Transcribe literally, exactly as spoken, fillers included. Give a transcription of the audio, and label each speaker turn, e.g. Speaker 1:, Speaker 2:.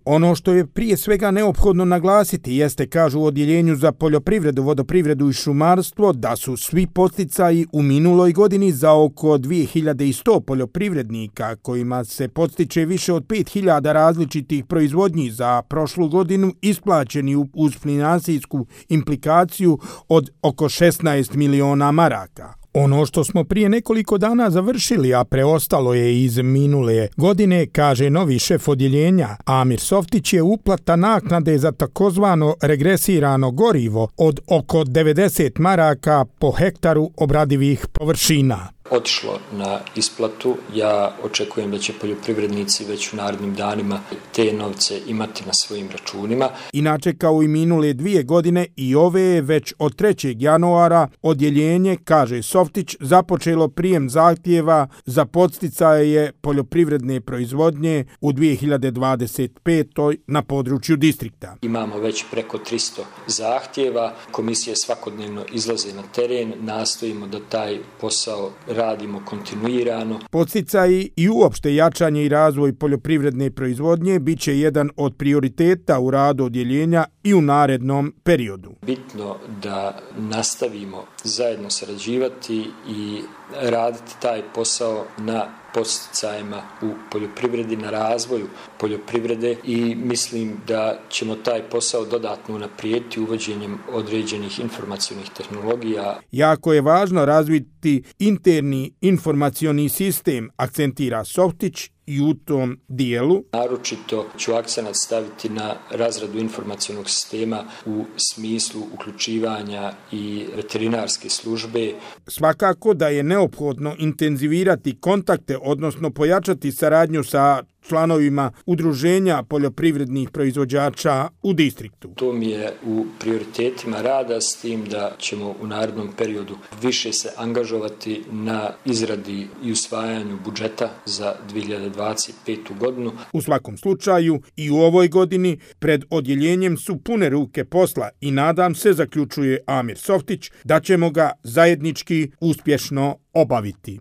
Speaker 1: Ono što je prije svega neophodno naglasiti jeste, kažu u Odjeljenju za poljoprivredu, vodoprivredu i šumarstvo, da su svi podsticaji u minuloj godini za oko dvije hiljade sto poljoprivrednika, kojima se podstiče više od pet hiljada različitih proizvodnji za prošlu godinu, isplaćeni uz finansijsku implikaciju od oko šesnaest miliona maraka. Ono što smo prije nekoliko dana završili, a preostalo je iz minule godine, kaže novi šef odjeljenja Amir Softić, je uplata naknade za takozvano regresirano gorivo od oko devedeset maraka po hektaru obradivih površina.
Speaker 2: Otišlo na isplatu. Ja očekujem da će poljoprivrednici već u narednim danima te novce imati na svojim računima.
Speaker 1: Inače, kao i minule dvije godine, i ove je već od trećeg januara odjeljenje, kaže Softić, započelo prijem zahtjeva za podsticaje poljoprivredne proizvodnje u dvije hiljade dvadeset petoj na području distrikta.
Speaker 2: Imamo već preko tristo zahtjeva, komisije svakodnevno izlaze na teren, nastojimo da taj posao radimo kontinuirano.
Speaker 1: Podsticaji i uopšte jačanje i razvoj poljoprivredne proizvodnje bit će jedan od prioriteta u radu odjeljenja i u narednom periodu.
Speaker 2: Bitno da nastavimo zajedno sarađivati i raditi taj posao na podsticajima u poljoprivredi, na razvoju poljoprivrede i mislim da ćemo taj posao dodatno unaprijediti uvođenjem određenih informacionih tehnologija.
Speaker 1: Jako je važno razviti interni informacioni sistem, akcentira Softić, i u tom dijelu.
Speaker 2: Naročito ću akcenat staviti na razradu informacionog sistema u smislu uključivanja i veterinarske službe.
Speaker 1: Svakako da je neophodno intenzivirati kontakte, odnosno pojačati saradnju sa članovima udruženja poljoprivrednih proizvođača u distriktu.
Speaker 2: To mi je u prioritetima rada, s tim da ćemo u narednom periodu više se angažovati na izradi i usvajanju budžeta za dvije hiljade dvadeset petu godinu.
Speaker 1: U svakom slučaju i u ovoj godini pred odjeljenjem su pune ruke posla i nadam se, zaključuje Amir Softić, da ćemo ga zajednički uspješno obaviti.